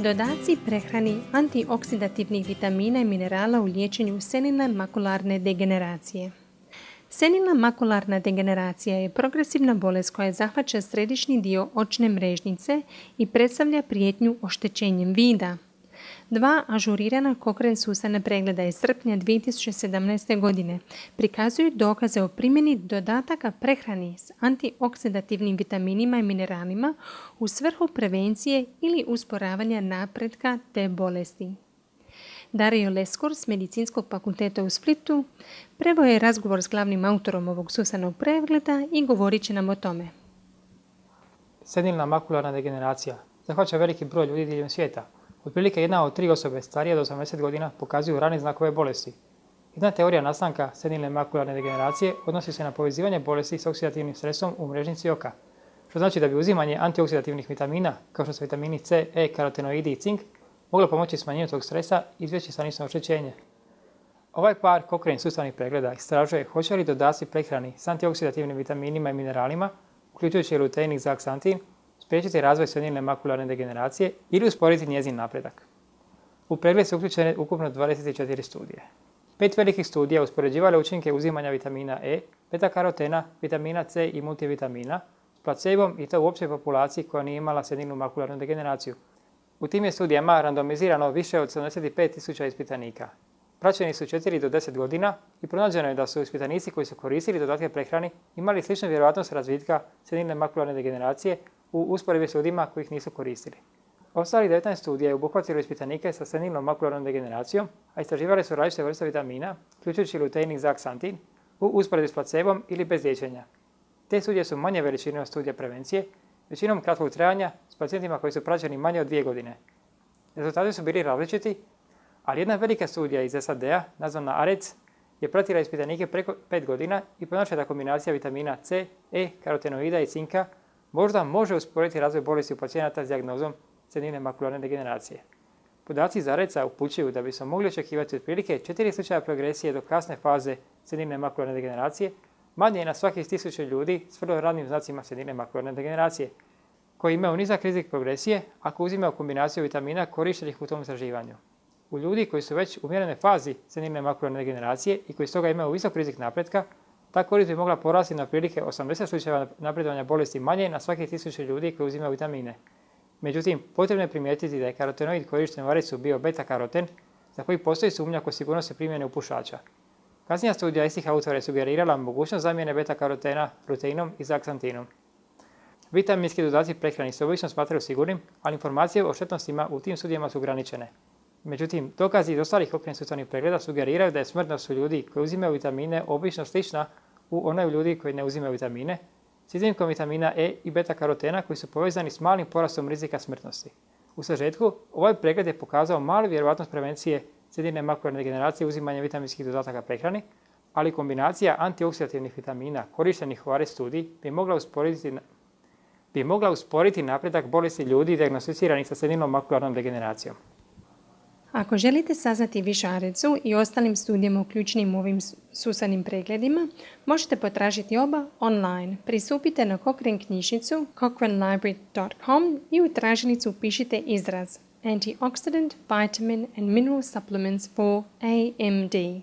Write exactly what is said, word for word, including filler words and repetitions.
Dodaci prehrani antioksidativnih vitamina i minerala u liječenju senilne makularne degeneracije. Senilna makularna degeneracija je progresivna bolest koja zahvaća središnji dio očne mrežnice i predstavlja prijetnju oštećenjem vida. Dva ažurirana Cochrane-Susana pregleda iz srpnja dvije tisuće sedamnaeste. godine prikazuju dokaze o primjeni dodataka prehrani s antioksidativnim vitaminima i mineralima u svrhu prevencije ili usporavanja napretka te bolesti. Dario Leskur s Medicinskog fakulteta u Splitu preveo je razgovor s glavnim autorom ovog Susanog pregleda i govorit će nam o tome. Senilna makularna degeneracija zahvaća veliki broj ljudi diljem svijeta. Otprilike jedna od tri osobe starije od osamdeset godina pokazuju rane znakove bolesti. Jedna teorija nastanka senilne makularne degeneracije odnosi se na povezivanje bolesti s oksidativnim stresom u mrežnici oka, što znači da bi uzimanje antioksidativnih vitamina, kao što su vitamini C, E, karotenoidi i cink, moglo pomoći smanjenju tog stresa i izbjeći stanično oštećenje. Ovaj par Cochrane sustavnih pregleda istražuje hoće li dodaci prehrani s antioksidativnim vitaminima i mineralima, uključujući lutein i zeaksantin, spriječiti razvoj senilne makularne degeneracije ili usporiti njezin napredak. U pregled su uključene ukupno dvadeset četiri studije. Pet velikih studija uspoređivale učinke uzimanja vitamina E, beta-karotena, vitamina C i multivitamina s placebom i to u općoj populaciji koja nije imala senilnu makularnu degeneraciju. U tim je studijama randomizirano više od sedamdeset pet tisuća ispitanika. Praćeni su četiri do deset godina i pronađeno je da su ispitanici koji su koristili dodatke prehrani imali sličnu vjerojatnost razvitka senilne makularne degeneracije u usporedbi s ljudima koji ih nisu koristili. Ostalih devetnaest studija je obuhvatilo ispitanike sa senilnom makularnom degeneracijom, a istraživale su različite vrste vitamina, uključujući lutein i zeaksantin, u usporedbi s placebom ili bez liječenja. Te studije su manje veličine od studija prevencije, većinom kratkog trajanja s pacijentima koji su praćeni manje od dvije godine. Rezultati su bili različiti, ali jedna velika studija iz S A D-a, nazvana A R E C, je pratila ispitanike preko pet godina i pronašla da kombinacija vitamina C, E, karotenoida i cinka možda može usporiti razvoj bolesti u pacijenata s dijagnozom senilne makularne degeneracije. Podaci iz A R E C-a upućuju da bi se mogli očekivati otprilike četiri slučaja progresije do kasne faze senilne makularne degeneracije, manje je na svakih tisuću ljudi s vrlo ranim znacima senilne makularne degeneracije, koji imaju nizak rizik progresije ako uzimaju kombinaciju vitamina korištenih u tom istraživanju. U ljudi koji su već u umjerenoj fazi senilne makularne degeneracije i koji stoga imaju visok rizik napretka, ta korist bi mogla porasti na otprilike osamdeset slučajeva napredovanja bolesti manje na svakih tisuću ljudi koji uzimaju vitamine. Međutim, potrebno je primijetiti da je karotenoid korišten u A R E C-u bio beta-karoten, za koji postoji sumnja oko sigurnosti primjene u pušača. Kasnija studija istih autora je sugerirala mogućnost zamjene beta-karotena luteinom i zeaksantinom. Vitaminski dodaci prehrani se obično smatraju sigurnim, ali informacije o štetnostima u tim studijama su ograničene. Međutim, dokazi iz ostalih Cochrane sustavnih pregleda sugeriraju da je smrtnost u ljudi koji uzimaju vitamine obično slična u onoj u ljudi koji ne uzimaju vitamine, s iznimkom vitamina E i beta-karotena koji su povezani s malim porastom rizika smrtnosti. U sažetku, ovaj pregled je pokazao malu vjerojatnost prevencije senilne makularne degeneracije uzimanjem vitaminskih dodataka prehrani, ali kombinacija antioksidativnih vitamina korištenih u A R E C studiji bi mogla usporiti, bi mogla usporiti napredak bolesti ljudi dijagnosticiranih sa senilnom makularnom degeneracijom. Ako želite saznati više o A R E C-u i ostalim studijama uključenim u ovim susanim pregledima, možete potražiti oba online. Pristupite na Cochrane knjižnicu cochrane library dot com i u tražilicu upišite izraz Antioxidant, Vitamin and Mineral Supplements for A M D.